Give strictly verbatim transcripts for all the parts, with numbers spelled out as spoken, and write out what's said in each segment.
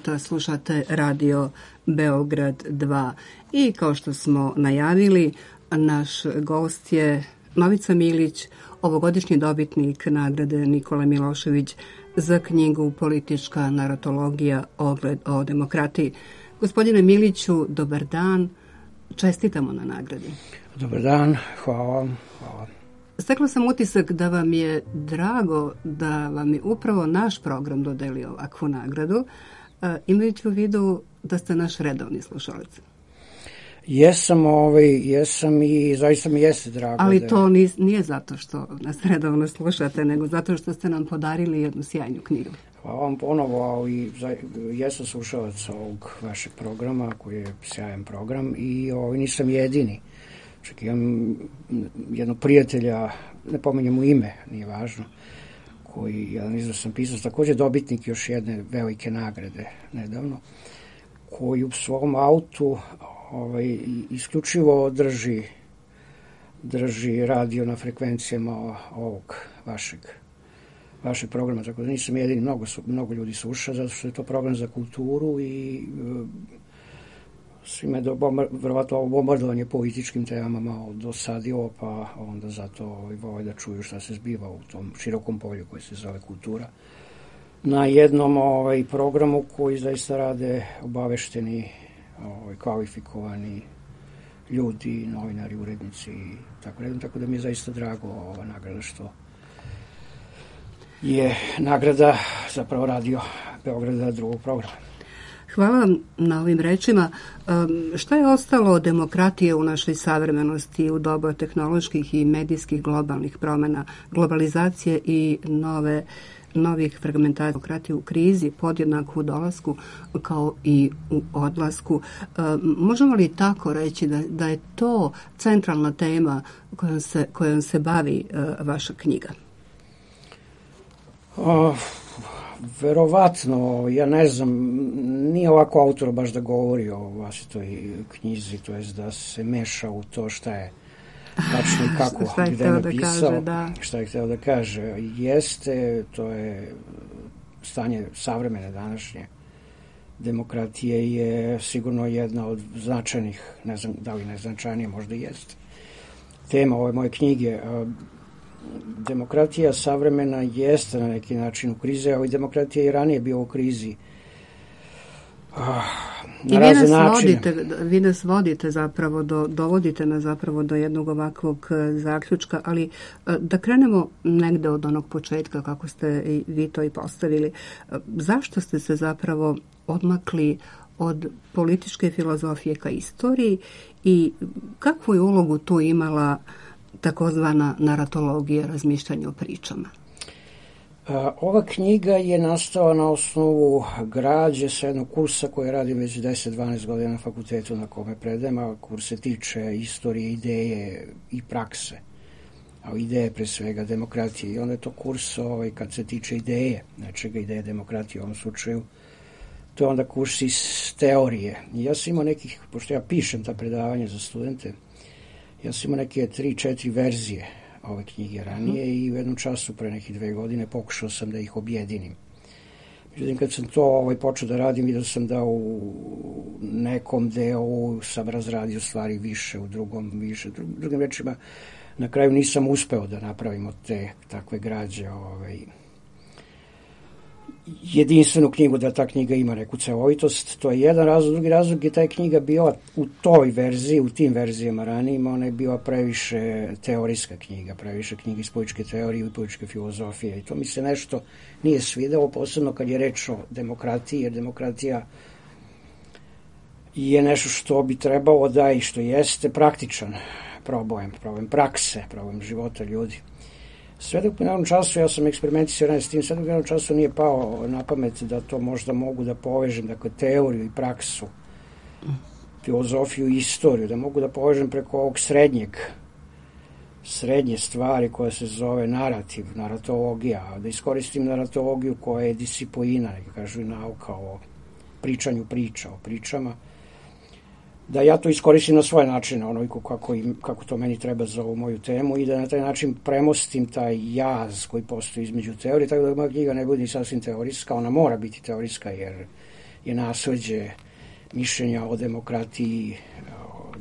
puta slušate Radio Beograd dva i kao što smo najavili, naš gost je Novica Milić, ovogodišnji dobitnik nagrade Nikola Milošević za knjigu Politička naratologija, ogled o demokratiji. Gospodine Miliću, dobar dan, čestitamo na nagradi. Dobar dan, hvala. hvala. Stekla sam utisak da vam je drago da vam je upravo naš program dodelio ovakvu nagradu, imajući u vidu da ste naš redovni slušalac. Jesam, ovaj, jesam i zaista mi jeste drago. Ali da... to nije zato što nas redovno slušate, nego zato što ste nam podarili jednu sjajnu knjigu. Hvala vam ponovo, ali jesam slušalac ovog vašeg programa, koji je sjajan program i ovaj, nisam jedini. Čak imam jednog prijatelja, ne pominjem mu ime, nije važno, koji, jedan izvrstan pisac, također dobitnik još jedne velike nagrade nedavno, koji u svom autu ovaj, isključivo drži, drži radio na frekvencijama ovog vašeg, vašeg programa, tako da nisam jedini, mnogo, mnogo ljudi sluša, zato što je to program za kulturu i svime je verovatno ovo bombardovanje političkim temama malo dosadilo, pa onda zato ovaj, vole da čuju šta se zbiva u tom širokom polju koji se zove kultura. Na jednom ovaj, programu koji zaista rade obavešteni, ovaj, kvalifikovani ljudi, novinari, urednici i tako redom, tako da mi je zaista drago ova nagrada što je nagrada zapravo Radio Beograda drugog programa. Hvala vam na ovim rečima. Šta je ostalo od demokratije u našoj savremenosti u doba tehnoloških i medijskih globalnih promjena, globalizacije i nove, novih fragmentacija demokratije u krizi, podjednako u dolasku kao i u odlasku? Možemo li tako reći da, da je to centralna tema kojom se, kojom se bavi vaša knjiga? Uh. Verovatno, ja ne znam, nije ovako autor baš da govori o vlastitoj knjizi, to jest da se meša u to šta je tačno i kako, šta je gde je da napisao, kaže, da. šta je hteo da kaže. Jeste, to je stanje savremene današnje demokratije je sigurno jedna od značajnih, ne znam da li najznačajnije, možda i jeste, tema ove moje knjige. Demokratija savremena jeste na neki način u krizi, ali demokratija i ranije bio u krizi. Na I vi nas, vodite, vi nas vodite zapravo, do, dovodite nas zapravo do jednog ovakvog zaključka, ali da krenemo negde od onog početka kako ste i vi to i postavili. Zašto ste se zapravo odmakli od političke filozofije ka istoriji i kakvu je ulogu tu imala takozvana naratologija, razmišljanja o pričama? Ova knjiga je nastala na osnovu građe sa jednog kursa koji radim već deset do dvanaest godina na fakultetu na kome predajem, a kurs se tiče istorije, ideje i prakse. A ideje pre svega demokratije. I onda je to kurs ovaj, kad se tiče ideje, nečega ideje demokratije u ovom slučaju, to je onda kurs iz teorije. I ja sam imao nekih, pošto ja pišem ta predavanja za studente, ja sam imao neke tri, četiri verzije ove knjige ranije i u jednom času pre nekih dve godine pokušao sam da ih objedinim. Međutim, kad sam to ovaj, počeo da radim, vidio sam da u nekom delu sam razradio stvari više, u drugom više. Drugim rečima, na kraju nisam uspeo da napravim od te takve građe ovaj, jedinstvenu knjigu, da ta knjiga ima neku celovitost. To je jedan razlog. Drugi razlog je ta knjiga bila u toj verziji, u tim verzijama ranijima, ona je bila previše teorijska knjiga, previše knjiga iz političke teorije i političke filozofije. I to mi se nešto nije svidelo, posebno kad je reč o demokratiji, jer demokratija je nešto što bi trebalo da i što jeste praktičan problem, problem prakse, problem života ljudi. Sve dok u jednom času, ja sam eksperimentisao s tim, sve dok u jednom času nije pao na pamet da to možda mogu da povežem, dakle, teoriju i praksu, filozofiju i istoriju, da mogu da povežem preko ovog srednjeg, srednje stvari koja se zove narativ, naratologija, da iskoristim naratologiju koja je disciplina, neka kažu i nauka o pričanju priča, o pričama, da ja to iskoristim na svoj način, onoliko kako, kako to meni treba za ovu moju temu i da na taj način premostim taj jaz koji postoji između teorije, tako da moja knjiga ne bude sasvim teorijska, ona mora biti teorijska jer je nasleđe mišljenja o demokratiji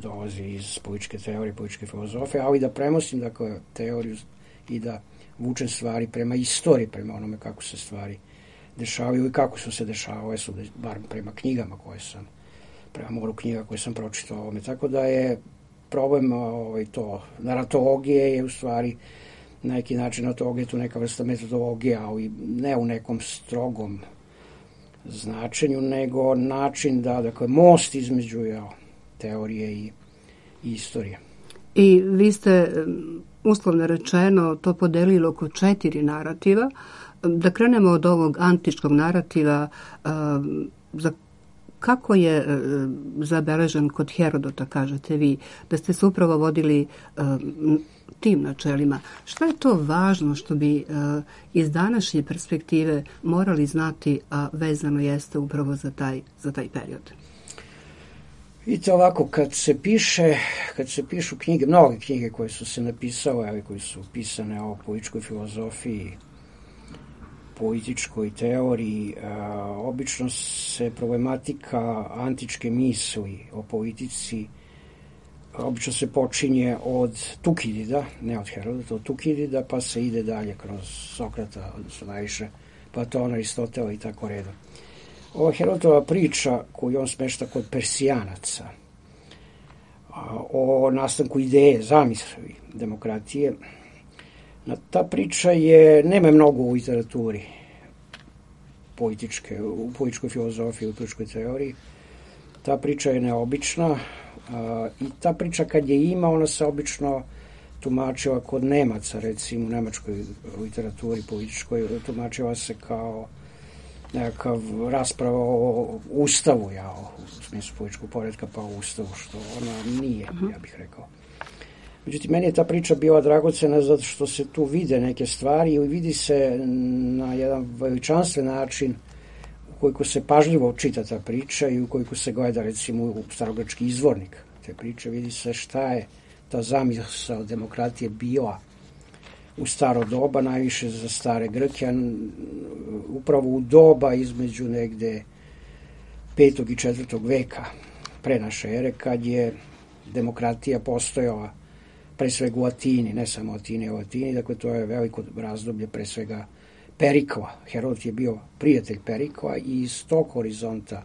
dolazi iz političke teorije, političke filozofije, ali da premostim dakle teoriju i da vučem stvari prema istoriji, prema onome kako se stvari dešavaju i kako su se dešavale, su bar prema knjigama koje sam, prema moru knjiga koje sam pročitao ovome. Tako da je problem ovaj, to, naratologije je u stvari na neki način naratologije tu neka vrsta metodologije, ali ne u nekom strogom značenju, nego način da, dakle, most između ja, teorije i, i istorije. I vi ste, uslovno rečeno, to podelili oko četiri narativa. Da krenemo od ovog antičkog narativa, za kako je zabeležen kod Herodota, kažete vi, da ste se upravo vodili tim načelima. Šta je to važno što bi iz današnje perspektive morali znati, a vezano jeste upravo za taj, za taj period? Vidite ovako, kad se piše, kad se pišu knjige, mnoge knjige koje su se napisale, ali koje su pisane o političkoj filozofiji, političkoj teoriji, a, obično se problematika antičke misli o politici obično se počinje od Tukidida, ne od Herodota, od Tukidida, pa se ide dalje kroz Sokrata, odnosno najviše Platona, Aristotela i tako redom. Ova Herodotova priča koju on smešta kod Persijanaca o nastanku ideje, zamisli demokratije, ta priča je, nema mnogo u literaturi političke, u političkoj filozofiji, u političkoj teoriji. Ta priča je neobična a, i ta priča kad je ima, ona se obično tumačila kod Nemaca, recimo u nemačkoj literaturi političkoj, tumačila se kao nekakav rasprava o ustavu, ja, u smislu političkog poretka, pa o ustavu, što ona nije, ja bih rekao. Međutim, meni je ta priča bila dragocena zato što se tu vide neke stvari i vidi se na jedan veličanstven način ukoliko se pažljivo čita ta priča i ukoliko se gleda recimo u starogrčki izvornik te priče, vidi se šta je ta zamisao demokratije bila u staro doba, najviše za stare Grke, upravo u doba između negde petog i četvrtog veka pre naše ere, kad je demokratija postojala pre svega u Atini, ne samo Atini, u Atini, dakle to je veliko razdoblje pre svega Perikla. Herodot je bio prijatelj Perikla i iz tog horizonta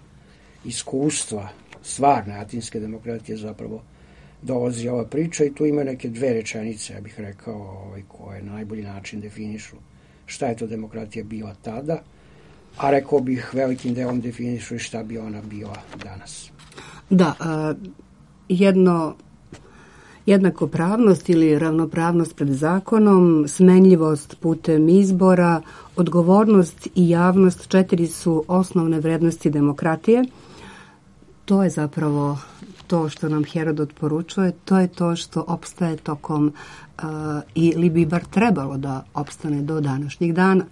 iskustva stvarne atinske demokratije zapravo dolazi ova priča i tu ima neke dve rečenice, ja bih rekao, ovaj, koje na najbolji način definišu šta je to demokratija bila tada, a rekao bih velikim delom definišu i šta bi ona bila danas. Da, a, jedno jednakopravnost ili ravnopravnost pred zakonom, smenljivost putem izbora, odgovornost i javnost, četiri su osnovne vrednosti demokratije. To je zapravo to što nam Herodot poručuje, to je to što opstaje tokom uh, ili bi bar trebalo da opstane do današnjih dana.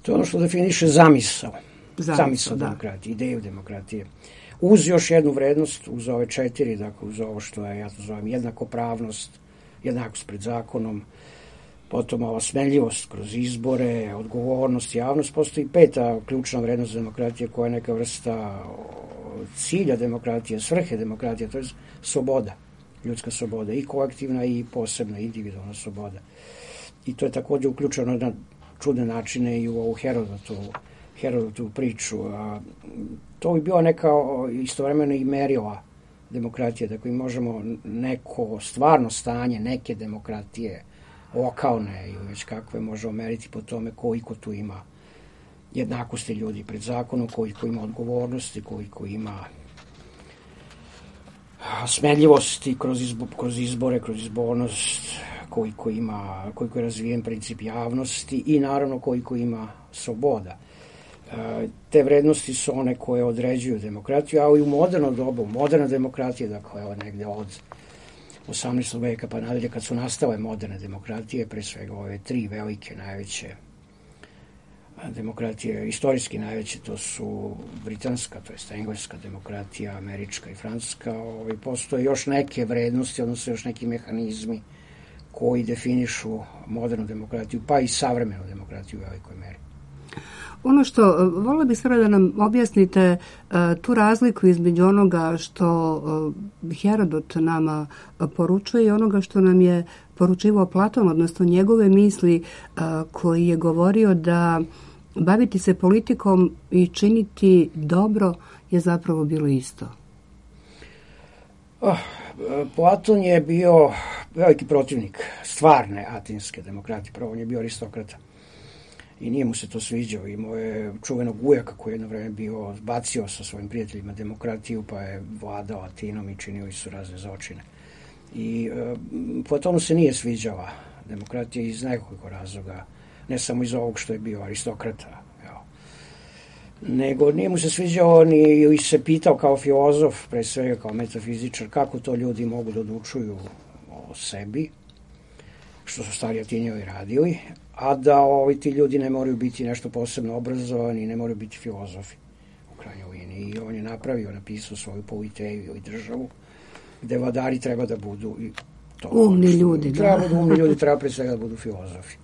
To je ono što definiše zamisao. Zamisao, zamisao da. demokratije, ideju demokratije. Uz još jednu vrednost, uz ove četiri, dakle uz ovo što je, ja to zovem, jednakopravnost, jednakost pred zakonom, potom ova smenljivost kroz izbore, odgovornost, javnost, postoji peta ključna vrednost demokratije koja je neka vrsta cilja demokratije, svrhe demokratije, to je sloboda, ljudska sloboda, i kolektivna i posebna, individualna sloboda. I to je također uključeno na čudne načine i u ovu Herodotovu, Herodotovu priču. A, to bi bila neka istovremeno i merila demokratije, dakle možemo neko stvarno stanje neke demokratije, lokalne ili već kakve, možemo meriti po tome koliko tu ima jednakosti ljudi pred zakonom, koliko ima odgovornosti, koliko ima smenljivosti kroz, izbo, kroz izbore, kroz izbornost, koliko ima, koliko je razvijen princip javnosti i naravno koliko ima sloboda. Te vrednosti su one koje određuju demokratiju, ali u moderno dobu, moderna demokratija, dakle evo negde od osamnaestog veka pa nadalje, kad su nastale moderne demokratije, pre svega ove tri velike najveće demokratije, istorijski najveće, to su britanska, to jest engleska demokratija, američka i francuska, ovaj, postoje još neke vrednosti, odnosno još neki mehanizmi koji definišu modernu demokratiju, pa i savremenu demokratiju u velikoj meri. Ono što, voljela bih sada da nam objasnite uh, tu razliku između onoga što uh, Herodot nama uh, poručuje i onoga što nam je poručivao Platon, odnosno njegove misli uh, koji je govorio da baviti se politikom i činiti dobro je zapravo bilo isto. Oh, Platon je bio veliki protivnik stvarne atinske demokratije. Prvo, on je bio aristokrata. I nije mu se to sviđao. Imao je čuvenog ujaka koji je jedno vreme bio bacio sa svojim prijateljima demokratiju, pa je vladao Atinom i činili su razne zločine. I e, Platonu se nije sviđala demokratija iz nekoliko razloga, ne samo iz ovog što je bio aristokrata, evo. Nego nije mu se sviđao ni ili se pitao kao filozof, pre svega kao metafizičar, kako to ljudi mogu da odlučuju o sebi, što su stari Atinjani radili, a da ovi ti ljudi ne moraju biti nešto posebno obrazovani, ne moraju biti filozofi u krajnjoj liniji. I on je napravio, napisao svoju politeju i državu, gde vladari treba da budu i to, umni ljudi. Treba da budu umni ljudi, treba pre svega da budu filozofi.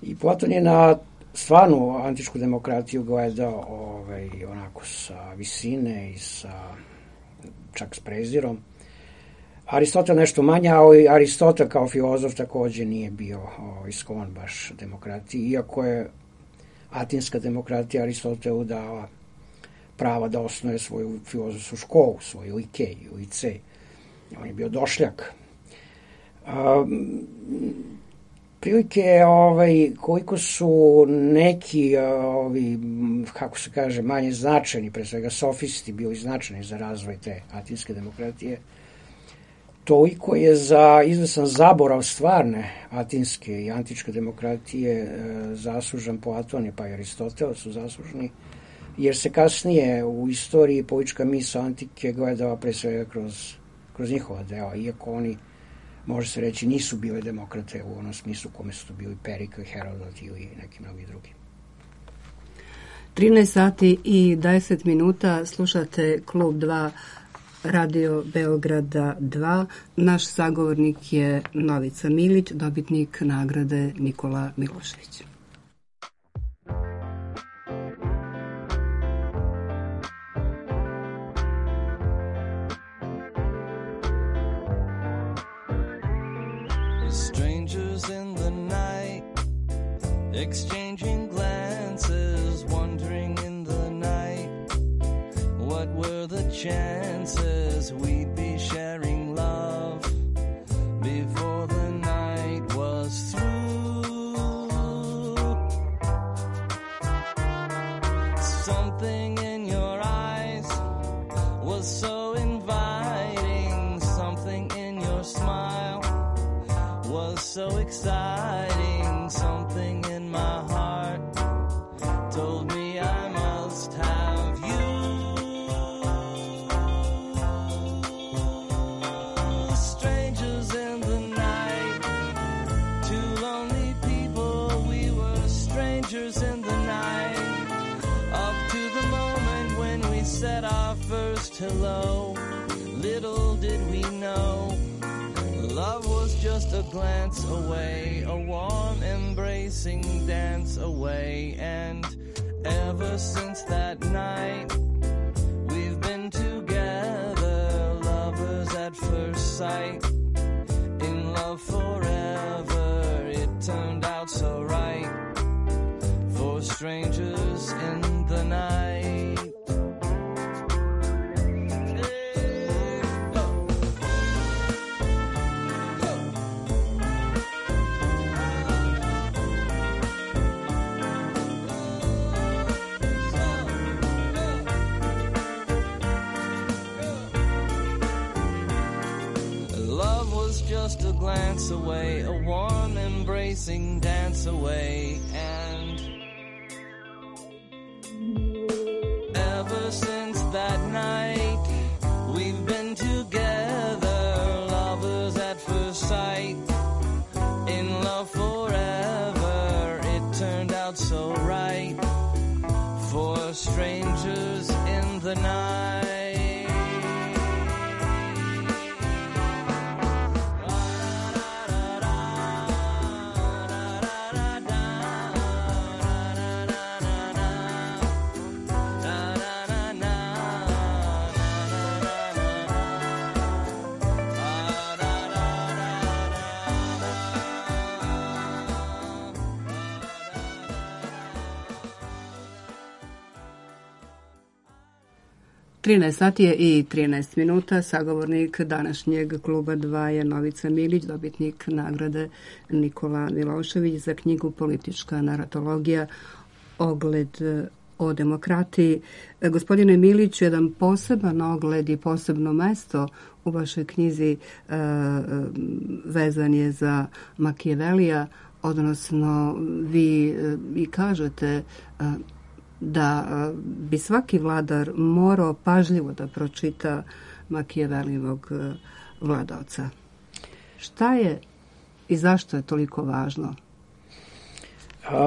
I Platon je na stvarnu antičku demokratiju gledao ovaj, onako sa visine i sa čak s prezirom. Aristotel nešto manje, ali Aristotel kao filozof takođe nije bio ovaj, sklon baš demokratiji, iako je atinska demokratija Aristotelu dala prava da osnuje svoju filozofsku školu, svoju likej, licej. On je bio došljak. Um, prilike ovaj, koliko su neki ovi, kako se kaže, manje značajni, pre svega sofisti, bili značajni za razvoj te atinske demokratije, toliko je za izvesan zaborav stvarne atinske i antičke demokratije e, zaslužan Platon, pa i Aristotel su zaslužni, jer se kasnije u istoriji politička misao antike gledala pre svega kroz, kroz njihova dela, iako oni, može se reći, nisu bile demokrate u onom smislu kome su to bili Perikl, Herodot ili neki mnogi drugi. trinaest sati i deset minuta, slušate Klub dva Radio Beograda dva. Naš sagovornik je Novica Milić, dobitnik nagrade Nikola Milošević. Strangers in the night, exchanging glances, wandering in the night. What were the chances we'd be sharing love before the night was through? Something in your eyes was so inviting, something in your smile was so exciting, something in my heart told me I must have you. Strangers in the night, two lonely people, we were strangers in the night, up to the moment when we said our first hello. Little did we know love was just a glance away, a warm embracing dance away. And ever since that night, we've been together, lovers at first sight, in love forever. It turned out so right for strangers in the night. Just a glance away, a warm embracing dance away. And ever since that night, we've been together, lovers at first sight, in love forever. It turned out so right for strangers in the night. trinaest sati je i trinaest minuta. Sagovornik današnjeg kluba dva je Novica Milić, dobitnik nagrade Nikola Milošević za knjigu Politička naratologija, ogled o demokratiji. Gospodine Miliću, jedan poseban ogled i posebno mesto u vašoj knjizi e, vezan je za Machiavellija, odnosno vi e, i kažete e, da bi svaki vladar morao pažljivo da pročita Machiavellivog vladaoca. Šta je i zašto je toliko važno?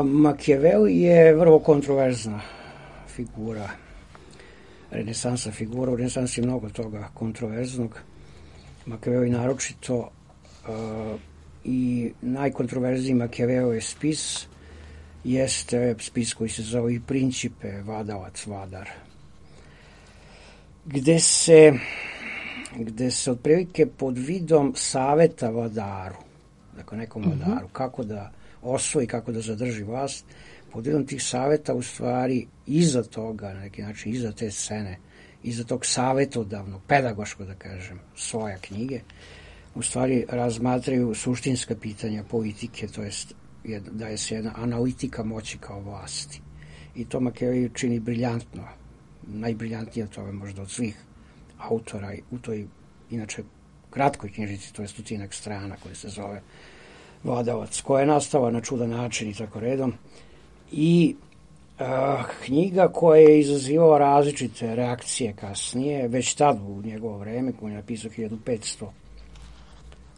Machiavelli je vrlo kontroverzna figura, renesansa figura. U renesansi je mnogo toga kontroverznog. Machiavelli naročito uh, i najkontroverzniji Machiavellijev spis jeste spis koji se zove i Principe, vladavac, vladar, gde se gde se otprilike pod vidom saveta vladaru, dakle nekom vladaru, mm-hmm. kako da osvoji, kako da zadrži vlast, pod vidom tih saveta u stvari iza toga, na neki način iza te scene, iza tog savetodavnog, pedagoško da kažem, svoja knjige, u stvari razmatraju suštinska pitanja politike, to jest da je se jedna analitika moći kao vlasti. I to Machiavelli čini briljantno. Najbriljantnije od toga možda od svih autora u toj, inače, kratkoj knjižici, to je stotinak strana koja se zove Vladavac, koja je nastala na čudan način i tako redom. I uh, knjiga koja je izazivala različite reakcije kasnije, već tad u njegovo vreme, koji je napisao hiljadu petsto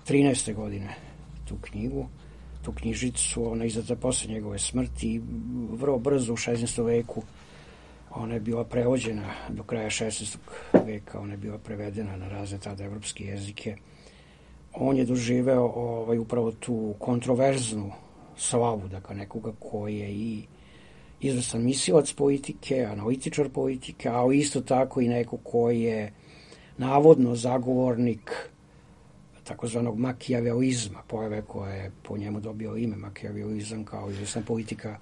trinaeste. godine tu knjigu, tu knjižicu, ona je izdata posle njegove smrti i vrlo brzo u šesnaestom veku ona je bila prevođena do kraja šesnaestog veka, ona je bila prevedena na razne tada evropske jezike. On je doživeo ovaj, upravo tu kontroverznu slavu, dakle nekoga koji je i izvrstan mislilac politike, analitičar politike, ali isto tako i neko koji je navodno zagovornik takozvanog makijavelizma, pojave koje je po njemu dobio ime makijavelizam kao izvrsna politika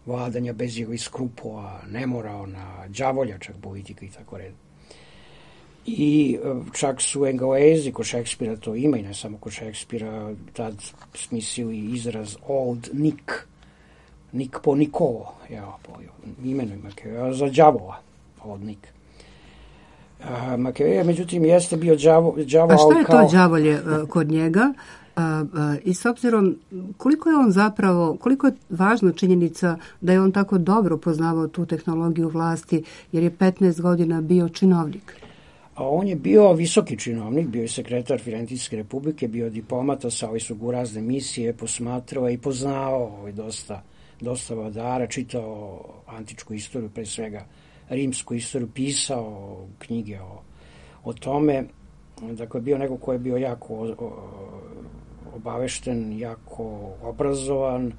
vladanja bez ili skrupula, nemoralna, đavoljačak politika i tako red. I čak su Englezi kod Šekspira to ima i ne samo kod Šekspira tad smislili izraz Old Nick, Nick po Nikolo, ja, po imenu Machiavellija, za đavola, Old Nick. Machiavelli, međutim, jeste bio đavo, đavo, a šta je kao... to đavolje uh, kod njega? Uh, uh, I s obzirom koliko je on zapravo, koliko je važna činjenica da je on tako dobro poznavao tu tehnologiju vlasti, jer je petnaest godina bio činovnik? A on je bio visoki činovnik, bio je sekretar Firencijske republike, bio diplomata, sa su u razne misije, posmatrao i poznao ovaj, dosta, dosta vladara, čitao antičku istoriju, pre svega rimsku istoriju, pisao knjige o, o tome. Dakle, bio neko ko je bio jako o, o, obavešten, jako obrazovan,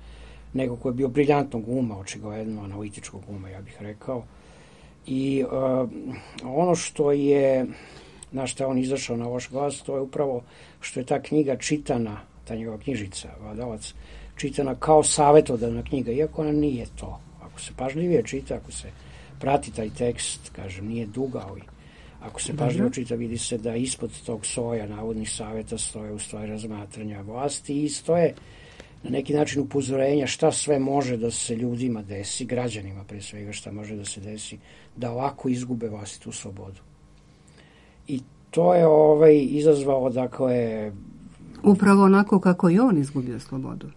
neko ko je bio briljantnog uma, očigledno analitičkog uma, ja bih rekao. I uh, ono što je, na što je on izašao na loš glas, to je upravo što je ta knjiga čitana, ta njegova knjižica, Vladavac, čitana kao savjetodavna knjiga, iako ona nije to. Ako se pažljivije čita, ako se prati taj tekst, kažem, nije duga, ali ako se pažljivo čita, vidi se da ispod tog soja navodnih savjeta stoje u stvari razmatranja vlasti i stoje na neki način upozorenja šta sve može da se ljudima desi, građanima pre svega šta može da se desi, da ovako izgube vlastitu slobodu. I to je ovaj, izazvalo, dakle... Upravo onako kako i on izgubio slobodu.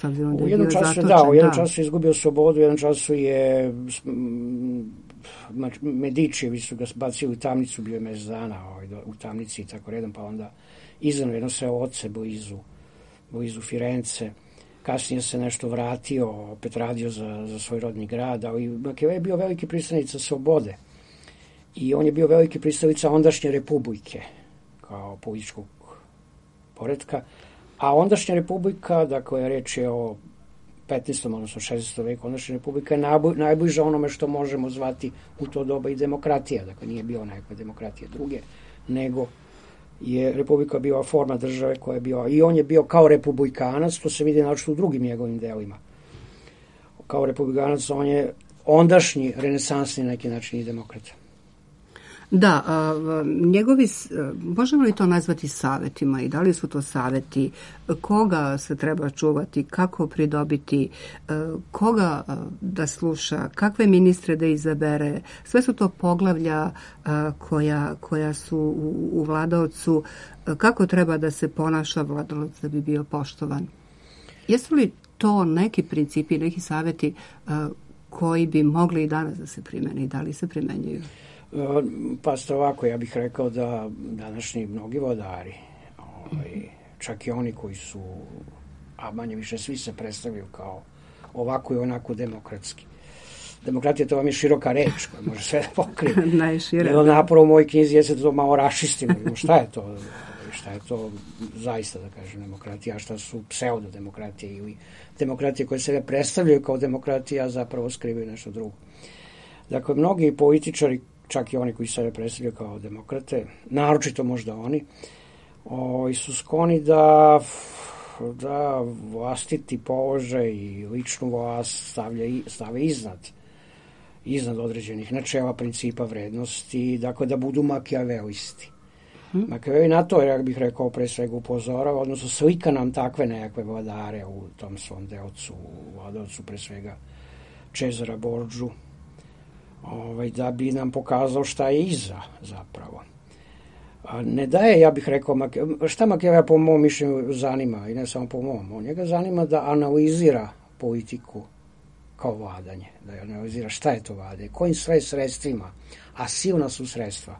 Da u jednom času, zatočen, da, u jednom da. času je izgubio slobodu, u jednom času je Medičijevi su ga bacili u tamnicu, bio je mesec dana ovaj, u tamnici i tako redom, pa onda izdano jedno sve oce blizu, blizu Firence. Kasnije se nešto vratio, opet radio za, za svoj rodni grad, ali Machiavelli je bio veliki pristalica slobode i on je bio veliki pristalica ondašnje republike kao političkog poretka, a ondašnja republika, dakle, reč je o petnaestom odnosno šesnaestom veku, ondašnja republika je najbliža onome što možemo zvati u to doba i demokratija, dakle nije bila nekakva demokratija druge, nego je republika bila forma države koja je bila, i on je bio kao republikanac, to se vidi naočito u drugim njegovim delima. Kao republikanac on je ondašnji renesansni neki način i demokrata. Da, a, njegovi, možemo li to nazvati savetima i da li su to saveti, koga se treba čuvati, kako pridobiti, koga da sluša, kakve ministre da izabere, sve su to poglavlja koja, koja su u, u vladaocu, kako treba da se ponaša vladaoc da bi bio poštovan. Jesu li to neki principi, neki saveti koji bi mogli i danas da se primene i da li se primenjuju? Pa ste ovako, ja bih rekao da današnji mnogi vladari, ovaj, čak i oni koji su, a manje više svi se predstavljaju kao ovako i onako demokratski. Demokratija, to vam je široka reč koja može sve da pokrije. Najšire. Jedno napor u mojoj knjizi jeste da to malo rašistimo. Šta je to? Šta je to zaista, da kažem, demokratija, a šta su pseudodemokratije ili demokratije koje se predstavljaju kao demokratija, a zapravo skrivaju nešto drugo. Dakle, mnogi političari, čak i oni koji se predstavljaju kao demokrate, naročito možda oni, o, su skloni da, da vlastiti položaj i ličnu vlast stavlja, stave iznad, iznad određenih načela, principa, vrednosti, dakle da budu makijavelisti. Hmm. Makijaveli na to, ja bih rekao, pre svega upozorava, odnosno slika nam takve nekakve vladare u tom svom delcu, vladavcu pre svega Cesara Borđu, Ovaj, da bi nam pokazao šta je iza zapravo. A ne daje, ja bih rekao, šta Machiavelli po mom mišljenju zanima, i ne samo po mom, on njega zanima da analizira politiku kao vladanje, da analizira šta je to vladanje, kojim sve sredstvima, a silna su sredstva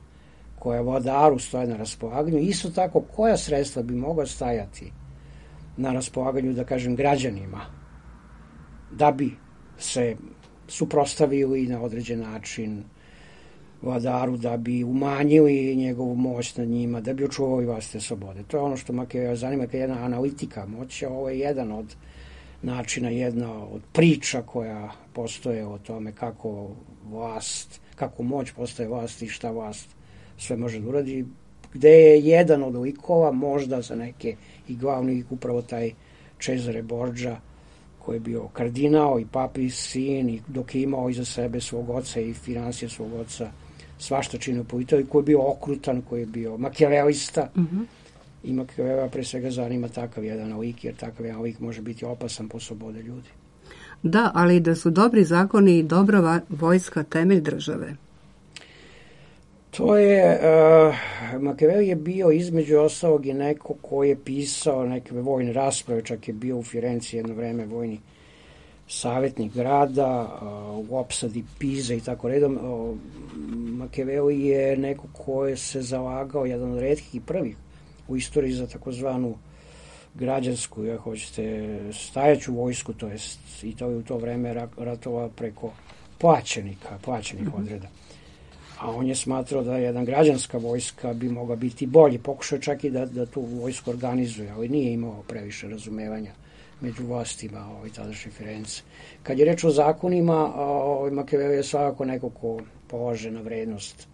koja vladaru stoje na raspolaganju, isto tako koja sredstva bi mogla stajati na raspolaganju, da kažem, građanima, da bi se suprotstavili na određen način vladaru, da bi umanjili njegovu moć nad njima, da bi očuvali vlastite slobode. To je ono što Machiavelli zanima, kad je jedna analitika moći, ovo je jedan od načina, jedna od priča koja postoje o tome kako vlast, kako moć postaje vlast i šta vlast sve može da uradi, gde je jedan od likova, možda za neke i glavni lik, upravo taj Cesare Borgia, koji je bio kardinal i papi sin, i dok je imao iza sebe svog oca i financije svog oca, svašta činio politiku, koji je bio okrutan, koji je bio makijavelista. Mm-hmm. I Machiavellija pre svega zanima takav jedan lik, jer takav jedan lik može biti opasan po slobode ljudi. Da, ali da su dobri zakoni i dobra vojska temelj države. To je, uh, Machiavelli je bio između ostalog i neko koji je pisao neke vojne rasprave, čak je bio u Firenci jedno vreme vojni savjetnik grada, uh, u opsadi Pize i tako redom. Uh, Machiavelli je neko koji se zalagao, jedan od retkih i prvih u istoriji za takozvanu građansku, ja hoćete, stajaću vojsku, to jest Italija u to vreme ratova preko plaćenika, plaćenih mm-hmm. odreda. A on je smatrao da jedna građanska vojska bi mogla biti bolji. Pokušao čak i da, da tu vojsku organizuje, ali nije imao previše razumevanja među vlastima ovaj, tadašnje Firence. Kad je reč o zakonima, ovaj, Machiavelli je svakako neko ko polaže na vrednost,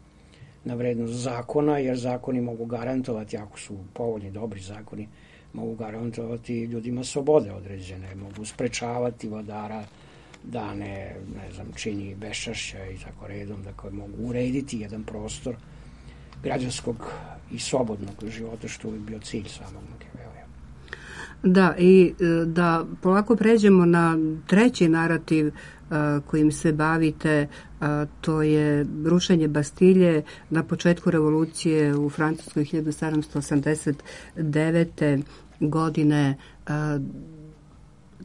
na vrednost zakona, jer zakoni mogu garantovati, ako su povoljni, dobri zakoni, mogu garantovati ljudima slobode određene, mogu sprečavati vladara da ne, ne znam, čini beščašća i tako redom, da koje mogu urediti jedan prostor građanskog i slobodnog života, što je bio cilj samog Machiavellija. Da, i da polako pređemo na treći narativ uh, kojim se bavite, uh, to je rušenje Bastilje na početku revolucije u Francuskoj hiljadu sedamsto osamdeset devete. godine. Uh,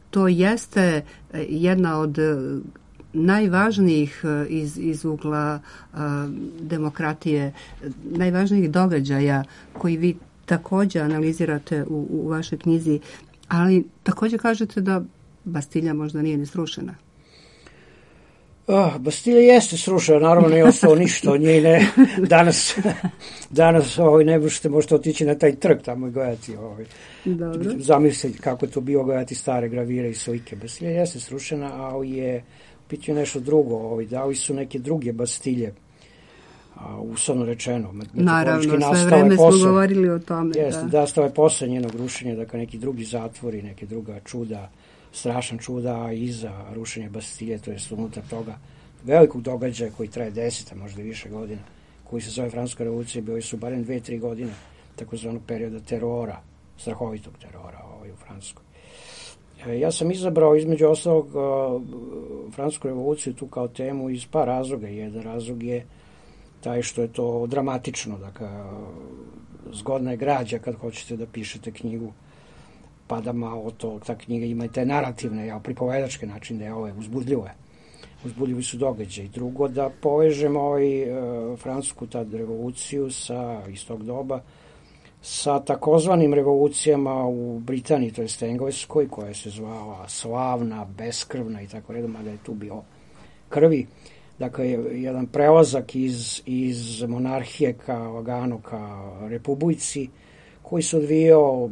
To jeste jedna od najvažnijih iz, iz ugla uh, demokratije, najvažnijih događaja koji vi također analizirate u, u vašoj knjizi, ali također kažete da Bastilja možda nije ni srušena. Oh, Bastilja jeste srušena, naravno nije ostalo ništa od nje. Ne, danas danas ovaj, ne možete, možete otići na taj trg tamo i gledati. Ovaj. Zamislite kako je to bilo gledati stare gravire i slike. Bastilja jeste srušena, ali je pitanje nešto drugo. Ovaj, da li su neke druge Bastilje, a, uslovno rečeno. Naravno, sve vreme smo posle, govorili o tome. Jeste, da, da stave posle njenog rušenja, dakle neki drugi zatvori, neke druga čuda, strašan čuda, a iza rušenja Bastilje, to je unutar toga velikog događaja koji traje deset, a možda i više godina, koji se zove Francuska revolucija, bili su barem dve, tri godine takozvanog perioda terora, strahovitog terora ovaj, u Francuskoj. E, ja sam izabrao između ostalog Francusku revoluciju tu kao temu iz par razloga. Jedan razlog je taj što je to dramatično, dakle, zgodna je građa kad hoćete da pišete knjigu, pa da malo to, ta knjiga ima i te narativne, ja, pripovedačke način da je ove uzbudljive. Uzbudljivi su događaj. Drugo, da povežemo ovaj, e, francusku tad revoluciju sa, iz tog doba sa takozvanim revolucijama u Britaniji, to jest Engleskoj, koja se zvala slavna, beskrvna i tako redom, mada je tu bio krvi. Dakle, jedan prelazak iz, iz monarhije ka lagano ka republici, koji se odvijao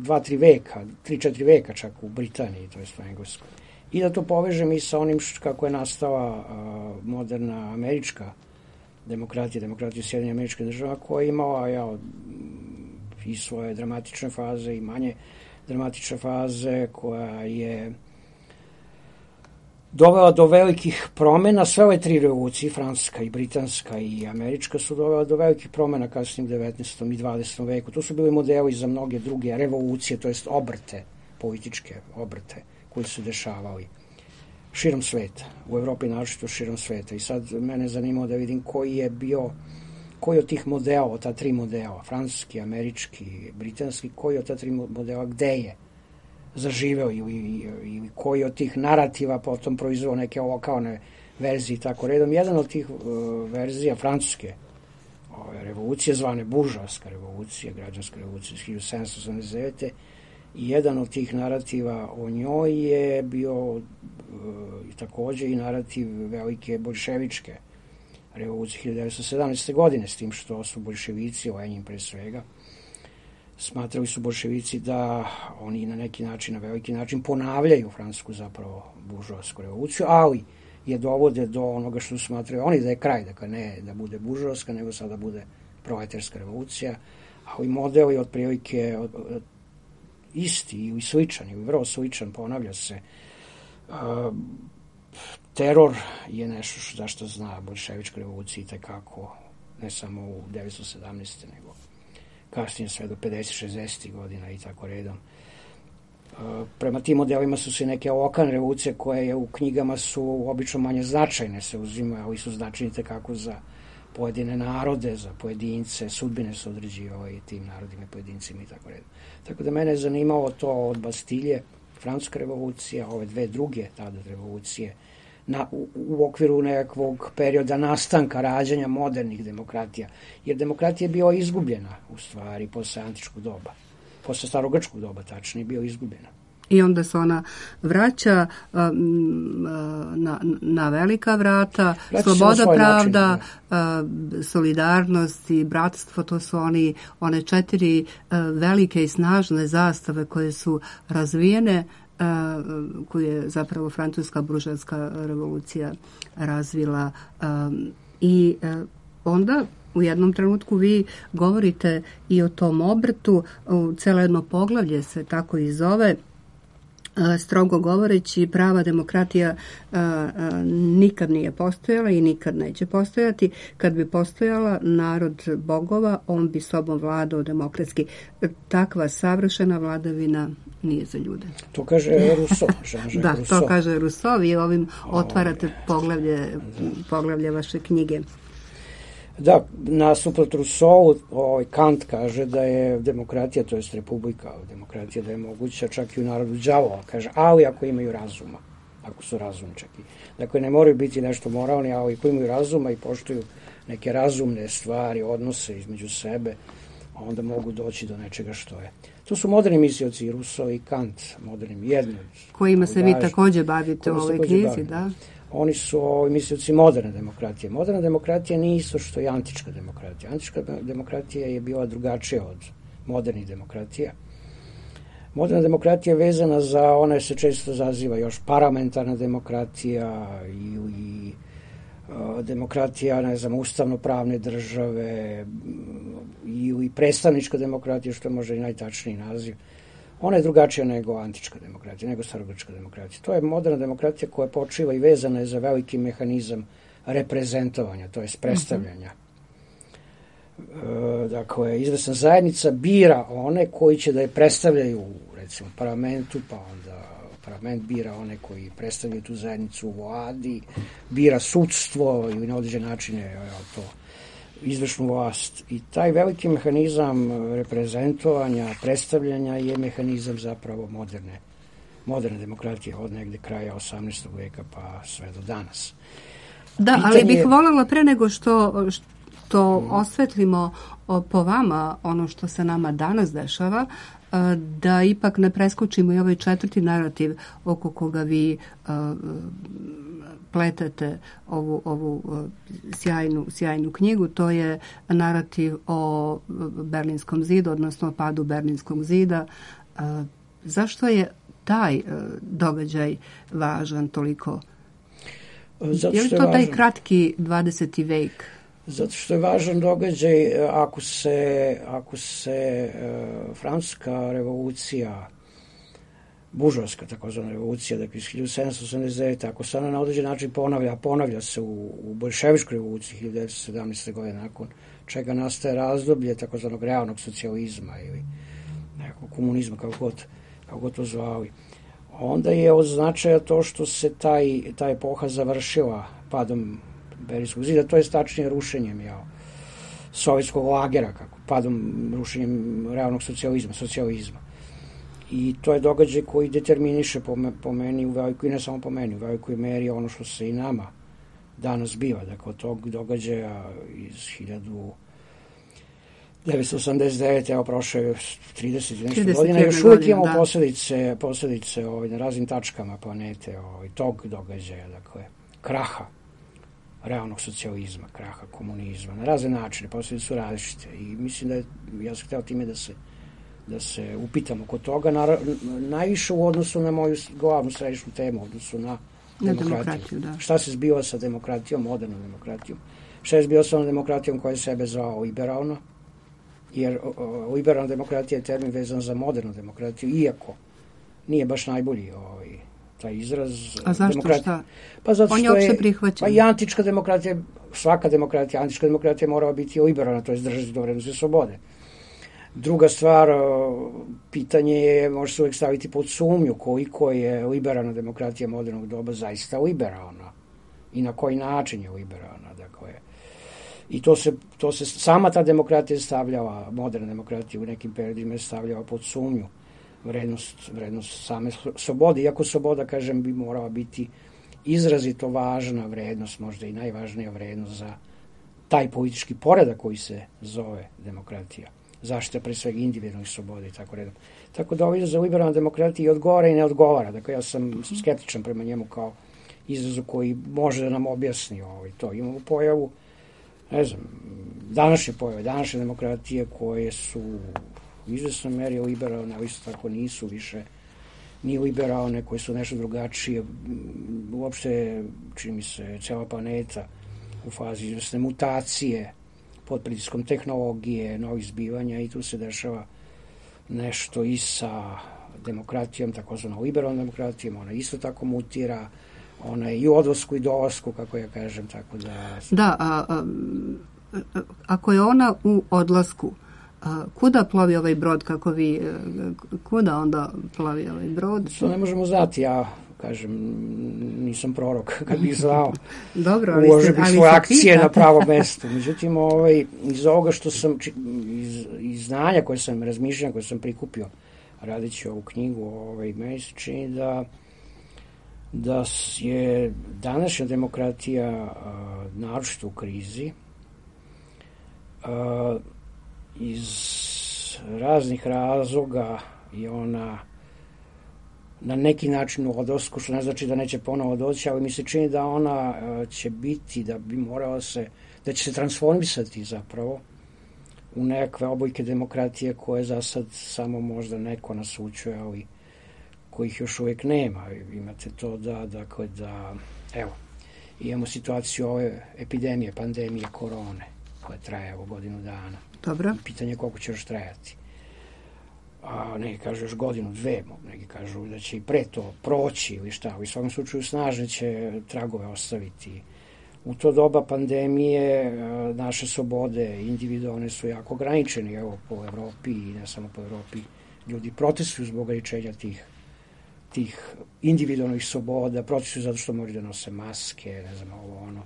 dva, tri veka, tri, četiri veka čak u Britaniji, to jest u Engleskoj. I da to povežem i sa onim što, kako je nastala uh, moderna američka demokratija, demokratija Sjedinjenih Američkih Država, koja je imala ja, i svoje dramatične faze i manje dramatične faze, koja je dovela do velikih promjena. Sve ove tri revolucije, francuska i britanska i američka, su dovela do velikih promjena kasnije u devetnaestom i dvadesetom veku. To su bili modeli za mnoge druge revolucije, to jest obrte, političke obrte koji su dešavali širom sveta, u Evropi naročito širom sveta. I sad mene zanimalo da vidim koji je bio, koji od tih modela, od ta tri modela, francuski, američki, britanski, koji od ta tri modela gde je zaživeo ili, ili koji od tih narativa potom proizveo neke lokalne verzije i tako redom. Jedan od tih uh, verzija francuske ove, revolucije, zvane buržoaska revolucija, građanska revolucija iz hiljadu sedamsto osamdeset devete, i jedan od tih narativa o njoj je bio uh, takođe i narativ velike boljševičke revolucije hiljadu devetsto sedamnaeste. godine, s tim što su boljševici, Lenin pre svega, smatrali su boljševici da oni na neki način, na veliki način ponavljaju francusku zapravo buržoasku revoluciju, ali je dovode do onoga što smatraju oni da je kraj, dakle ne da bude buržoaska, nego sada bude proletarska revolucija, ali model je otprilike od, od, isti ili sličan, ili vrlo sličan, ponavlja se. Uh, teror je nešto što, zašto zna boljševička revolucija i tekako, ne samo u devetsto sedamnaeste. nego kasnije sve do pedeset šezdeset godina i tako redom. Uh, prema tim modelima su se neke lokalne revolucije koje je u knjigama su obično manje značajne, se uzimaju, ali su značajne tekako za pojedine narode, za pojedince, sudbine su određivale i tim narodima i pojedincima i tako redom. Tako da mene je zanimalo to od Bastilje, francuska revolucija, ove dve druge tada revolucije, na, u, u okviru nekakvog perioda nastanka rađanja modernih demokratija. Jer demokratija je bila izgubljena, u stvari, posle antičkog doba. Posle starogrčkog doba, tačnije, bio izgubljena. I onda se ona vraća um, na, na velika vrata, vraća sloboda, pravda, način, uh, solidarnost i bratstvo, to su oni, one četiri uh, velike i snažne zastave koje su razvijene, uh, koje je zapravo francuska buržoaska revolucija razvila. Um, I uh, onda u jednom trenutku vi govorite i o tom obrtu, uh, celo jedno poglavlje se tako i zove. Strogo govoreći, prava demokratija a, a, nikad nije postojala i nikad neće postojati. Kad bi postojala narod bogova, on bi sobom vladao demokratski. Takva savršena vladavina nije za ljude. To kaže Rousseau. Da, Rousseau. To kaže Rousseau. Vi ovim otvarate poglavlje, poglavlje vaše knjige. Da, nasuprot Rousseau, ovaj Kant kaže da je demokratija, to jest republika, demokratija da je moguća čak i u narodu đavola, kaže, ali ako imaju razuma, ako su razumčaki. Dakle, ne moraju biti nešto moralni, ali ako imaju razuma i poštuju neke razumne stvari, odnose između sebe, onda mogu doći do nečega što je. To su moderni mislioci, Rousseau i Kant, moderni jedni. Kojima se vi takođe bavite u ovoj knjizi, da? Oni su ovi mislioci moderne demokratije. Moderna demokratija nije isto što i antička demokratija. Antička demokratija je bila drugačija od modernih demokratija. Moderna demokratija je vezana za, ona se često zaziva još parlamentarna demokratija i, i uh, demokratija, ne znam, ustavno-pravne države i, i predstavnička demokratija, što je možda i najtačniji naziv. Ona je drugačija nego antička demokratija, nego starogrčka demokratija. To je moderna demokratija koja počiva i vezana je za veliki mehanizam reprezentovanja, to je predstavljanja. dakle, izvesna zajednica bira one koji će da je predstavljaju, recimo, parlamentu, pa onda parlament bira one koji predstavljaju tu zajednicu u vladi, bira sudstvo ili na određen način je to izvršnu vlast. I taj veliki mehanizam reprezentovanja, predstavljanja je mehanizam zapravo moderne, moderne demokratije od negde kraja osamnaestog veka pa sve do danas. Da, Pitanje... ali bih voljela pre nego što, što hmm. osvetlimo po vama ono što se nama danas dešava, da ipak ne preskočimo i ovaj četvrti narativ oko koga vi uh, pletate ovu, ovu uh, sjajnu, sjajnu knjigu. To je narativ o Berlinskom zidu, odnosno o padu Berlinskog zida. Uh, zašto je taj uh, događaj važan toliko? Zato je li to je taj važan. kratki dvadeseti vek? Zato što je važan događaj ako se, ako se uh, francuska revolucija, buržoaska takozvana revolucija, dakle iz hiljadu sedamsto osamdeset devete. ako se ona na određen način ponavlja, ponavlja se u, u boljševičkoj revoluciji hiljadu devetsto sedamnaeste. godine, nakon čega nastaje razdoblje takozvanog realnog socijalizma ili nekog komunizma, kako god, kako god to zvali. Onda je od značaja to što se taj, ta epoha završila padom Berlinskog zida, to je tačnije rušenjem jel, sovjetskog lagera, kako, padom, rušenjem realnog socijalizma, socijalizma. I to je događaj koji determiniše po, me, po meni u velikoj, i ne samo po meni, u velikoj meri ono što se i nama danas biva. Dakle, od tog događaja iz hiljadu devetsto osamdeset devete. evo prošlo je trideset i nešto godina, još uvijek imamo posljedice, posljedice ovaj, na raznim tačkama planete ovaj, tog događaja, dakle, kraha realnog socijalizma, kraha komunizma, na razne načine, posljedice su različite i mislim da je, ja sam hteo time da se da se upitamo kod toga, na, najviše u odnosu na moju glavnu središnju temu, u odnosu na, na demokratiju. demokratiju da. Šta se zbiva sa demokratijom, modernom demokratijom? Šta je zbiva sa demokratijom koja je sebe zvao liberalno? Jer o, o, liberalna demokratija je termin vezan za modernu demokratiju, iako nije baš najbolji ovaj, taj izraz. A zašto šta? Pa zato On je što opšte je, prihvaćen. Pa i antička demokratija, svaka demokratija, antička demokratija morala biti liberalna, to je držati do vrednosti slobode. Druga stvar, pitanje je, može se uvijek staviti pod sumnju koliko je liberalna demokratija modernog doba zaista liberalna i na koji način je liberalna. Dakle, i to se, to se, sama ta demokratija stavljala, moderna demokratija u nekim periodima je stavljala pod sumnju vrednost, vrednost same slobode, iako sloboda, kažem, bi morala biti izrazito važna vrednost, možda i najvažnija vrednost za taj politički poredak koji se zove demokratija. Zaštita pre svega individualnih sloboda i tako redom. Tako da ovaj za liberalna demokratija i odgovara i ne odgovara. Dakle, ja sam skeptičan prema njemu kao izrazu koji može da nam objasni ovaj, to. Imamo pojavu, ne znam, današnje pojave, današnje demokratije koje su u izvesnoj meri liberalne, ali isto tako nisu više ni liberalne, koje su nešto drugačije. Uopšte, čini mi se, cela planeta u fazi izvesne mutacije, pod pritiskom tehnologije, novih zbivanja i tu se dešava nešto i sa demokratijom, takozvanom liberalnom demokratijom, ona isto tako mutira, ona je i u odlasku i dolasku, kako ja kažem, tako da... Da, a, a, a, ako je ona u odlasku, a, kuda plovi ovaj brod, kako vi, kuda onda plovi ovaj brod? To ne možemo znati, ja kažem, nisam prorok, kad bih znao, dobro, ali uložio bih svoje akcije pitate. na pravo mesto. Međutim, ovaj, iz ovoga što sam, iz, iz znanja koje sam, razmišljanja koje sam prikupio radeći ovu knjigu, ovaj, meni se čini da da je današnja demokratija a, naročito u krizi a, iz raznih razloga i ona na neki način u odlasku, što ne znači da neće ponovo doći, ali mi se čini da ona uh, će biti, da bi morala se, da će se transformisati zapravo u nekakve obojke demokratije koje za sad samo možda neko nasučuje, ali kojih još uvijek nema. Imate to da, dakle, da, evo, imamo situaciju ove epidemije, pandemije korone, koja traje evo godinu dana. Dobro. I pitanje je koliko će još trajati. A neki kažu još godinu, dve, neki kažu da će i pre to proći ili šta, u svakom slučaju snažne će tragove ostaviti u to doba pandemije naše slobode individualne su jako ograničene, evo po Evropi i ne samo po Evropi, ljudi protestuju zbog ograničenja tih, tih individualnih sloboda, protestuju zato što moraju da nose maske, ne znam, ovo ono,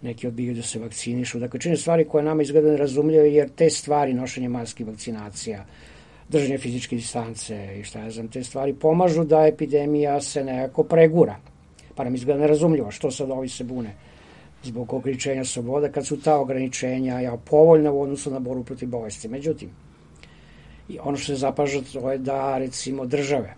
neki odbijaju da se vakcinišu, dakle čine stvari koje nama izgleda nerazumljive, jer te stvari, nošenje maski, vakcinacija, držanje fizičke distance i šta ja znam, te stvari pomažu da epidemija se nekako pregura. Pa nam izgleda nerazumljivo što sad ovi se bune zbog ograničenja sloboda, kad su ta ograničenja ja, povoljna u odnosu na borbu protiv bolesti. Međutim, i ono što se zapaža to je da, recimo, države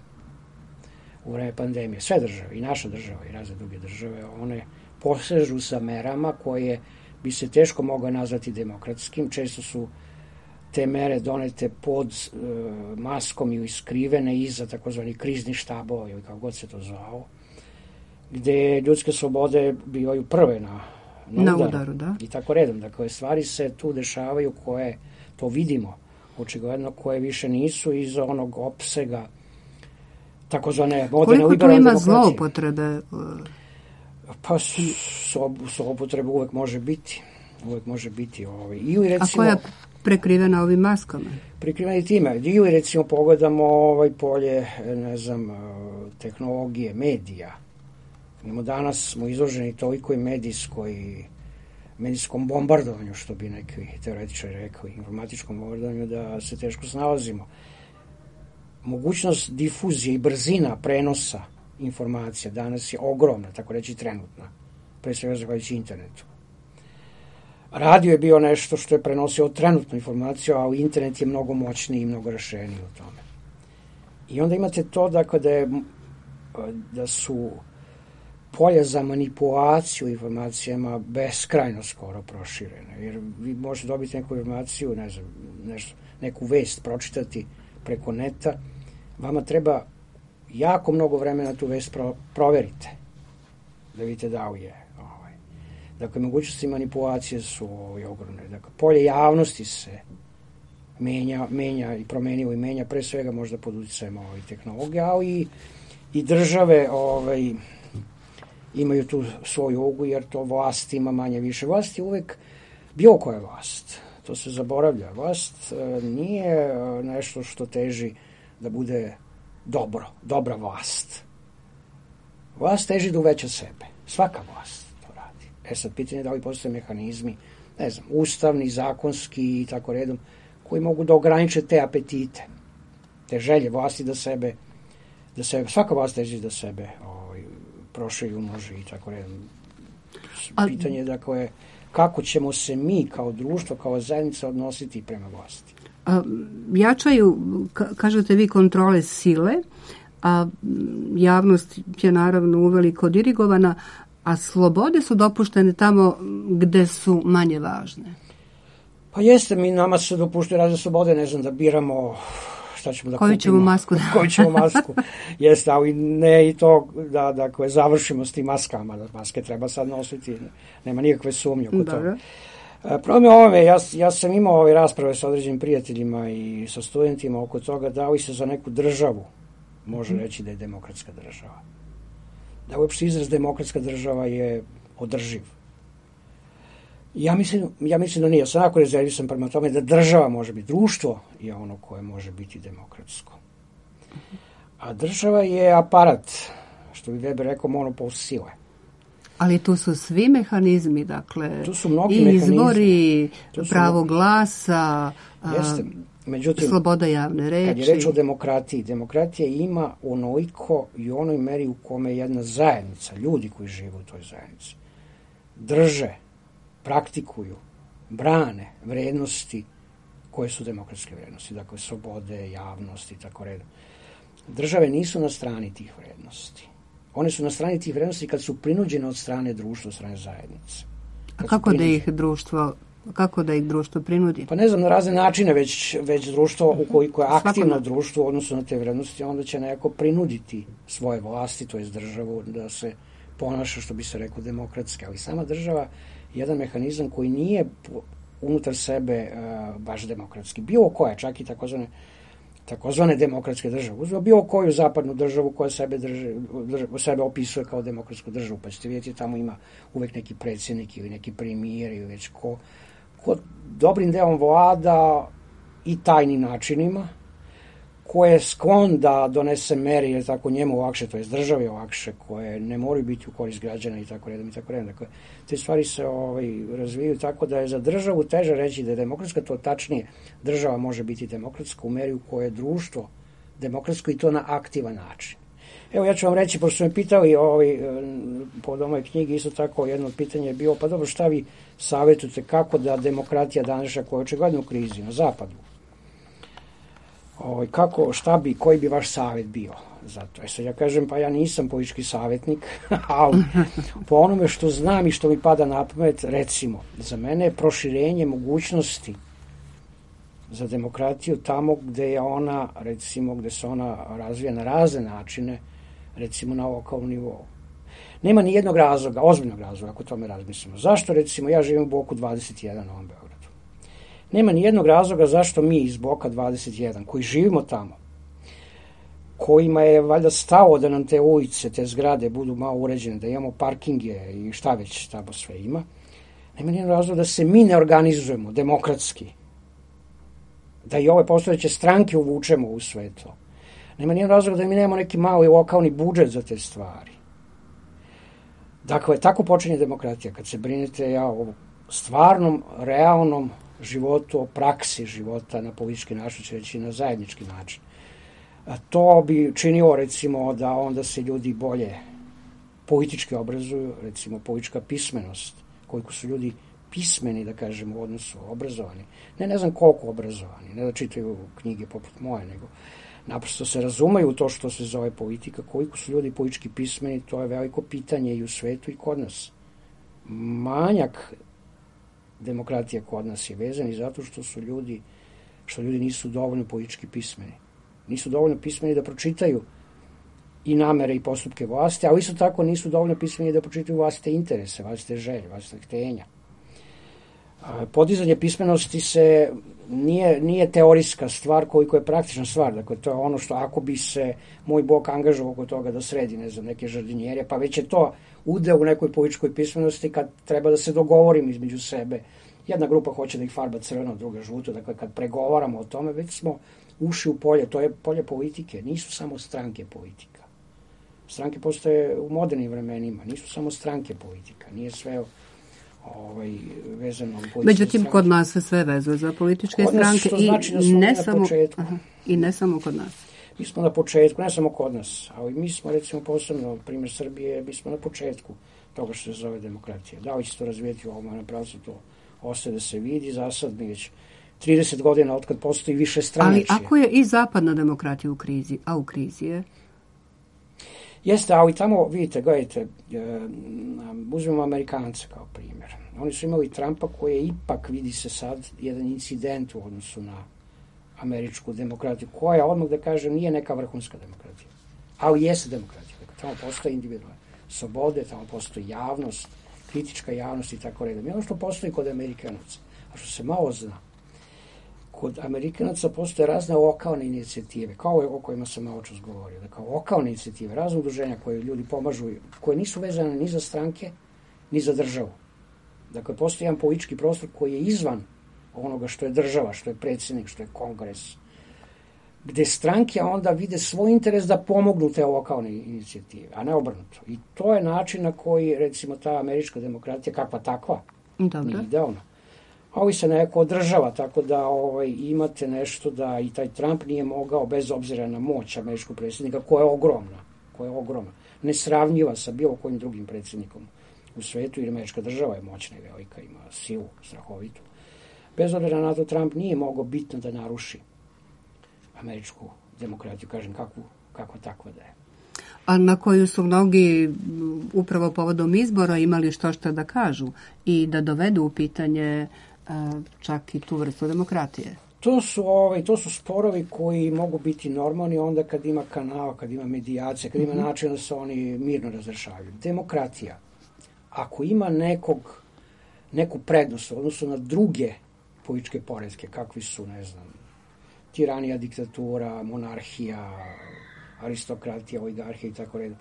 u vreme pandemije, sve države, i naša država i razne druge države, one posežu sa merama koje bi se teško mogle nazvati demokratskim. Često su te mere donete pod e, maskom ili skrivene iza takozvani krizni štabova ili kako god se to zvao, gde ljudske slobode bivaju prve na, na, na udaru, udaru da. I tako redom. Dakle, stvari se tu dešavaju koje, to vidimo, očigledno, koje više nisu iz onog opsega takozvane moderne liberalne demokracije. Koliko tu ima zloupotrebe? Pa zloupotrebe uvek može biti. Uvek može biti. Ovaj. Ili recimo, a koja je prekrivena ovim maskama? Prekrivena i time. Ili recimo pogledamo ovaj polje, ne znam, tehnologije, medija. Danas smo izloženi toliko i medijskoj, medijskom bombardovanju, što bi neki teoretičari rekli, informatičkom bombardovanju, da se teško snalazimo. Mogućnost difuzije i brzina prenosa informacija danas je ogromna, tako reći trenutna, pre svega zahvaljujući internetu. Radio je bio nešto što je prenosio trenutnu informaciju, a internet je mnogo moćniji i mnogo rašireniji u tome. I onda imate to, dakle, da, je, da su polja za manipulaciju informacijama beskrajno skoro proširene, jer vi možete dobiti neku informaciju, ne znam, nešto, neku vest pročitati preko neta, vama treba jako mnogo vremena tu vest pro, proverite, da vidite da li je. Ovaj. Dakle, mogućnosti manipulacije su ovaj, ogromne. Dakle, polje javnosti se menja, menja i promenilo i menja, pre svega možda pod uticajem ovaj, tehnologije, ali i, i države ovaj, imaju tu svoju ulogu, jer to vlast ima manje više. Vlast je uvek bilo koja vlast. To se zaboravlja. Vlast e, nije nešto što teži da bude dobro, dobra vlast. Vlast teži da uveća sebe. Svaka vlast to radi. E sad, pitanje je da li postoje mehanizmi, ne znam, ustavni, zakonski i tako redom, koji mogu da ograniče te apetite, te želje vlasti da sebe, da sebe, svaka vlast teži da sebe ovaj, proširi, umnoži i tako redom. Pitanje je, dakle, kako ćemo se mi kao društvo, kao zajednica odnositi prema vlasti. A, jačaju, kažete vi, kontrole sile, a javnost je naravno uveliko dirigovana, a slobode su dopuštene tamo gde su manje važne. Pa jeste, mi nama se dopuštaju razne slobode, ne znam, da biramo šta ćemo da koju kupimo. Ćemo masku da... koju ćemo masku. Jeste, ali ne i to da, da koje završimo s tim maskama, da maske treba sad nositi, nema nikakve sumnje oko toga. Problem je ovome, ja, ja sam imao ove rasprave sa određenim prijateljima i sa studentima oko toga da li se za neku državu može reći da je demokratska država. Da uopšte izraz demokratska država je održiv. Ja mislim, ja mislim da nije. Ja sam jako rezervisan prema tome da država može biti, društvo je ono koje može biti demokratsko. A država je aparat, što bi Weber rekao, monopol sile. Ali tu su svi mehanizmi, dakle, tu su mnogi i izbori, mehanizmi. pravo glasa, Jeste. Međutim, sloboda javne reči. Kad je reč o demokratiji, demokratija ima onoliko i onoj meri u kome jedna zajednica, ljudi koji žive u toj zajednici, drže, praktikuju, brane vrednosti koje su demokratske vrednosti, dakle slobode, javnosti i tako redom. Države nisu na strani tih vrednosti. One su na strani tih vrednosti kad su prinuđene od strane društva, od strane zajednice. A kako da ih društvo, kako da ih društvo prinudi? Pa ne znam, na razne načine, već, već društvo, ukoliko je aktivno društvo u odnosu na te vrednosti, onda će nekako prinuditi svoje vlasti, to je državu, da se ponaša, što bi se rekao, demokratski. Ali sama država je jedan mehanizam koji nije unutar sebe uh, baš demokratski. Bilo koja, čak i takozvane takozvane demokratske države. Uzmemo bilo koju zapadnu državu koja sebe, drži, držav, sebe opisuje kao demokratsku državu, pa ćete vidjeti tamo ima uvek neki predsjednik ili neki premijer ili već ko, ko dobrim delom vlada i tajnim načinima, ko je sklon da donese mere jer tako njemu lakše, to je državi lakše, koje ne moraju biti u korist građana i tako redom i tako redom. Dakle, te stvari se ovaj, razvijaju tako da je za državu teže reći da je demokratska, to tačnije država može biti demokratska u meri u kojoj je društvo demokratsko i to na aktivan način. Evo ja ću vam reći, pošto su me pitali ovaj, po ovoj knjigi, isto tako jedno od pitanja je bilo, pa dobro, šta vi savjetujete kako da demokratija današnja koja je očigledno u krizi na zapadu, ovaj, kako, šta bi, koji bi vaš savjet bio za to? E sad ja kažem, pa ja nisam politički savjetnik, ali po onome što znam i što mi pada na pamet, recimo, za mene je proširenje mogućnosti za demokratiju tamo gde je ona, recimo, gde se ona razvija na razne načine, recimo na lokalnom nivou. Nema ni jednog razloga, ozbiljnog razloga, ako tome razmislimo. Zašto, recimo, ja živim u bloku dvadeset jedan na ovom Beogradu? Nema ni jednog razloga zašto mi iz bloka dvadeset jedan, koji živimo tamo, kojima je valjda stalo da nam te ulice, te zgrade budu malo uređene, da imamo parkinge i šta već tamo sve ima, nema ni jednog razloga da se mi ne organizujemo demokratski, da i ove postojeće stranke uvučemo u sve to. Nema nijedan razlog da mi nemamo neki mali lokalni budžet za te stvari. Dakle, tako počinje demokratija, kad se brinete ja, o stvarnom, realnom životu, o praksi života na politički način, će reći na zajednički način. A to bi činilo, recimo, da onda se ljudi bolje politički obrazuju, recimo politička pismenost, koliko su ljudi pismeni, da kažem, u odnosu obrazovani. Ne, ne znam koliko obrazovani, ne da čitaju knjige poput moje, nego naprosto se razumeju u to što se zove politika, koliko su ljudi politički pismeni, to je veliko pitanje i u svetu i kod nas. Manjak demokratije kod nas je vezan i zato što su ljudi, što ljudi nisu dovoljno politički pismeni. Nisu dovoljno pismeni da pročitaju i namere i postupke vlasti, ali isto tako nisu dovoljno pismeni da pročitaju vlastite interese, vlastite želje, vlastite htenja. Podizanje pismenosti se nije, nije teorijska stvar koliko je praktična stvar. Dakle, to je ono što ako bi se moj blok angažovao oko toga da sredi, ne znam, neke žardinjere, pa već je to udeo u nekoj političkoj pismenosti kad treba da se dogovorim između sebe. Jedna grupa hoće da ih farba crveno, druga žuto. Dakle, kad pregovaramo o tome, već smo ušli u polje. To je polje politike. Nisu samo stranke politika. Stranke postoje u modernim vremenima. Nisu samo stranke politika. Nije sve ovaj, vezano u političke Međutim, stranke. kod nas se sve vezuje za političke Kod nas, stranke što i znači da smo ne na samo početku. aha, i ne samo kod nas. Mi smo na početku, ne samo kod nas, ali mi smo, recimo, posebno, primjer Srbije, mi smo na početku toga što se zove demokratija. Da li će to razvijeti u ovom pravcu, to ostaje da se vidi. Za sad mi već trideset godina od kad postoji više stranačije. Ali ako je i zapadna demokratija u krizi, a u krizi je? Jeste, ali tamo, vidite, gledajte, uzmemo Amerikance kao primjer. Oni su imali Trumpa koji je ipak, vidi se sad, jedan incident u odnosu na američku demokratiju, koja, odmah da kažem, nije neka vrhunska demokratija, ali jeste demokratija. Dakle, tamo postoje individualne slobode, tamo postoji javnost, kritička javnost i tako redom. I ono što postoji kod Amerikanaca, a što se malo zna, kod Amerikanaca postoje razne lokalne inicijative, kao ove o kojima sam malo čas govorio, dakle, lokalne inicijative, razne udruženja koje ljudi pomažu, koje nisu vezane ni za stranke, ni za državu. Dakle, postoji jedan politički prostor koji je izvan onoga što je država, što je predsjednik, što je kongres, gde stranke onda vide svoj interes da pomognu te lokalne inicijative, a ne obrnuto. I to je način na koji, recimo, ta američka demokratija, kakva takva, Dobro. nije idealna, ali se neko održava, tako da ovaj, imate nešto da i taj Trump nije mogao, bez obzira na moć američkog predsjednika, koja je ogromna, koja je ogromna, nesravnjiva sa bilo kojim drugim predsjednikom u svetu, jer američka država je moćna i velika, ima silu strahovitu. Bez obzira na to, Trump nije mogao bitno da naruši američku demokratiju, kažem, kakvu, kakva takva da je. A na koju su mnogi upravo povodom izbora imali što šta da kažu i da dovedu u pitanje a, čak i tu vrstu demokratije. To su, ovaj, to su sporovi koji mogu biti normalni onda kad ima kanal, kad ima medijacija, kad ima mm-hmm. način da se oni mirno razrešavaju. Demokratija, ako ima nekog, neku prednost u odnosu na druge političke poretke, kakvi su, ne znam, tiranija, diktatura, monarhija, aristokratija, oligarhija i tako redom.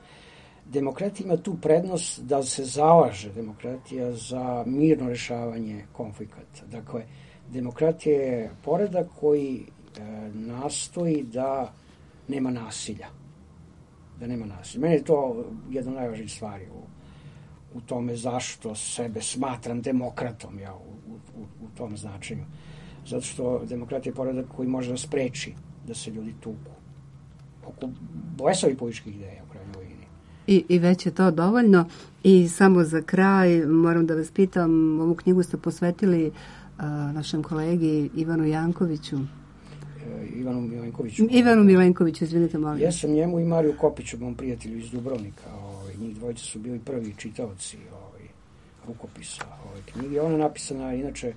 Demokratija ima tu prednost da se zalaže demokratija za mirno rešavanje konflikata. Dakle, demokratija je poredak koji e, nastoji da nema nasilja. Da nema nasilja. Meni je to jedna od najvažnijih stvari u, u tome zašto sebe smatram demokratom, ja, u, u, u tom značenju. Zato što demokratija je poredak koji može da spreči da se ljudi tuku oko blesavi političkih ideja u krajnjoj liniji. I, I već je to dovoljno. I samo za kraj moram da vas pitam, ovu knjigu ste posvetili uh, našem kolegi Ivanu Jankoviću. E, Ivanu Milenkoviću. Ivanu Milenkoviću, izvinite, molim. Ja sam njemu i Mariju Kopiću, mom prijatelju iz Dubrovnika. Ovaj, njih dvojice su bili prvi čitaoci ovaj, rukopisa ove knjige. Ona je napisana, inače,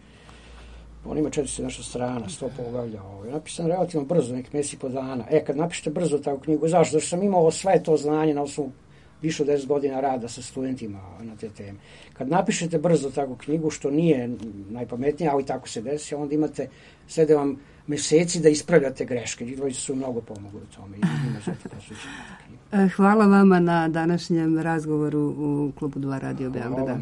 on ima četristo nešto strana, sto poglavlja. Ovaj. Napisan relativno brzo, nek mjesec i po dana. E, kad napišete brzo takvu knjigu, zašto? Zato što sam imao sve to znanje na osnovu više od deset godina rada sa studentima na te teme. Kad napišete brzo takvu knjigu, što nije najpametnije, ali tako se desi, onda imate, slede vam meseci da ispravljate greške. Njih dvojice su mnogo pomogli u tome. Hvala vama na današnjem razgovoru u Klubu dva Radio Beograda.